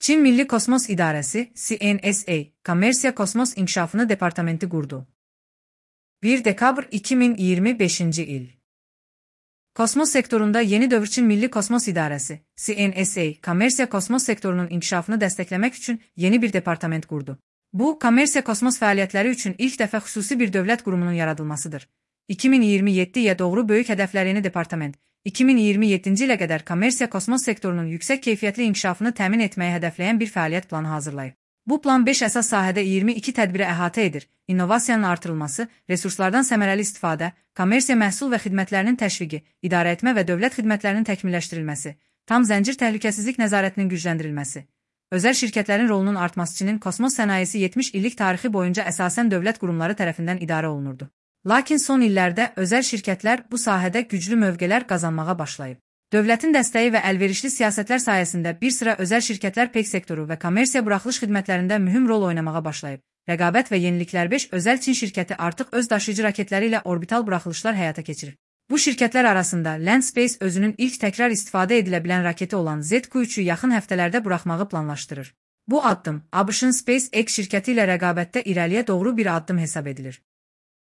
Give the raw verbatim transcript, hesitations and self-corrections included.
Çin Milli Kosmos İdarəsi C N S A, Kommersiya Kosmos İnkişafını Departamenti qurdu. bir dekabr iki min iyirmi beşinci il. Kosmos sektorunda yeni dövr Çin Milli Kosmos İdarəsi C N S A, Kommersiya Kosmos sektorunun inkişafını dəstəkləmək üçün yeni bir departament qurdu. Bu, kommersiya kosmos fəaliyyətləri üçün ilk dəfə xüsusi bir dövlət qurumunun yaradılmasıdır. iki min iyirmi yeddiyə doğru böyük hədəflərini departament, iki min iyirmi yeddinci ilə qədər kommersiya kosmos sektorunun yüksək keyfiyyətli inkişafını təmin etməyi hədəfləyən bir fəaliyyət planı hazırlayıb. Bu plan beş əsas sahədə iyirmi iki tədbiri əhatə edir: innovasiyanın artırılması, resurslardan səmərəli istifadə, kommersiya məhsul və xidmətlərinin təşviqi, idarəetmə və dövlət xidmətlərinin təkmilləşdirilməsi, tam zəncir təhlükəsizlik nəzarətinin gücləndirilməsi. Özəl şirkətlərin rolunun artması. Çinin kosmos sənayesi yetmiş illik tarixi boyunca əsasən dövlət qurumları tərəfindən idarə olunurdu. Lakin son illərdə özəl şirkətlər bu sahədə güclü mövqelər qazanmağa başlayıb. Dövlətin dəstəyi və əlverişli siyasətlər sayəsində bir sıra özəl şirkətlər peyk sektoru və kommersiya buraxılış xidmətlərində mühüm rol oynamağa başlayıb. Rəqabət və yeniliklər beş özəl Çin şirkəti artıq öz daşıyıcı raketləri ilə orbital buraxılışlar həyata keçirir. Bu şirkətlər arasında Land Space özünün ilk təkrar istifadə edilə bilən raketi olan Z Q üçü yaxın həftələrdə buraxmağı planlaşdırır. Bu addım A B Ş-ın SpaceX şirkəti ilə rəqabətdə irəliyə doğru bir addım hesab edilir.